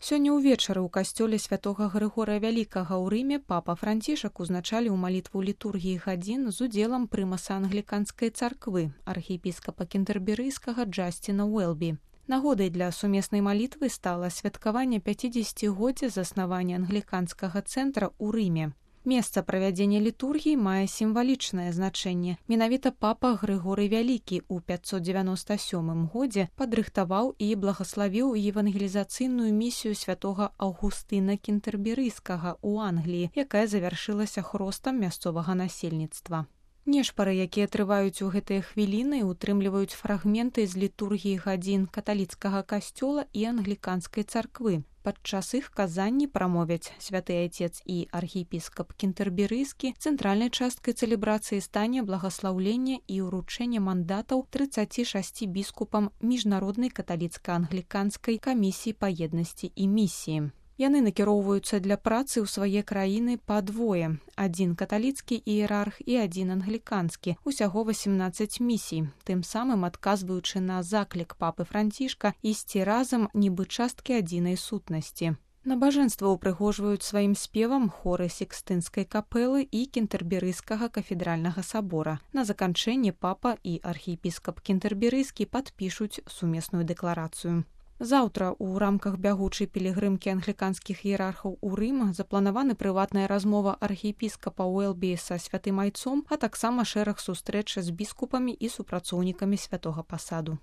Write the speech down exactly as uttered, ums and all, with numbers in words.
Сёння ўвечары ў касцёле святога Грыгорыя Вялікага ў Рыме папа Францішак узначаліў малітву літургіі гадзін з удзелам прымаса англіканскай царквы, архіепіскапа кентэрберыйскага Джасціна Уэлбі. Нагодай для сумеснай малітвы стала святкаванне пяцідзесяцігоддзя заснавання англіканскага цэнтра ў Рыме. Месца правядзення літургіі мае сімвалічнае значэнне. Менавіта папа Грыгорый Вялікі ў пяцьсот дзевяноста сёмым годзе падрыхтаваў і благаславіў евангелізацыйную місію святога Аўгустына Кентэрберыйскага ў Англіі, якая завяршылася хростам мясцовага насельніцтва. Нешпары, якія трываюць у гэтыя хвіліны, утрымліваюць фрагменты з літургіі гадзін каталіцкага касцёла і англіканскай царквы. Падчас іх казанні прамовяць святы айцец і архіепіскап Кентэрберыйскі. Цэнтральнай часткай цэлебрацыі стане благаслаўленне і ўручэнне мандатаў трыццаці шасці біскупам міжнароднай каталіцка-англіканскай камісіі па еднасці і місіі. Яны накіроўваюцца для працы ў свае краіны па двое. Адзін каталіцкі іерарх і адзін англіканскі. Усяго васемнаццаць місій, тым самым адказваючы на заклік папы Францішка ісці разам нібы часткі адзінай сутнасці. Набажэнства ўпрыгожваюць сваім спевам хоры Сікстынскай капэлы і Кентэрберыйскага кафедральнага сабора. На заканчэнне папа і архіепіскап Кентэрберыйскі падпішуць сумесную дэкларацыю. Заўтра ў рамках бягучай пілігрымкі англіканскіх іерархаў у Рым запланаваны прыватная размова архіепіскапа Уэлбі са святым айцом, а таксама шэраг сустрэч з біскупамі і супрацоўнікамі святога пасаду.